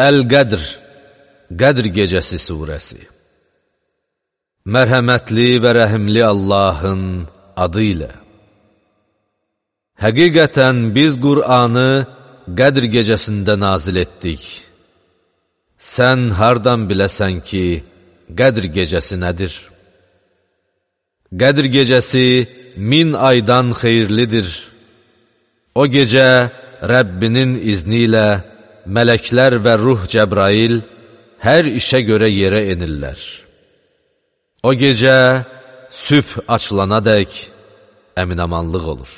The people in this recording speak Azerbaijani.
Əl-Qədr, Qədr gecəsi surəsi. Mərhəmətli və rəhimli Allahın adı ilə. Həqiqətən biz Qur'anı Qədr gecəsində nazil etdik. Sən hardan biləsən ki, Qədr gecəsi nədir? Qədr gecəsi 1000 aydan xeyirlidir. O gecə Rəbbinin izni ilə mələklər və ruh Cəbrail hər işə görə yerə enirlər. O gecə sübh açılanadək əminamanlıq olur.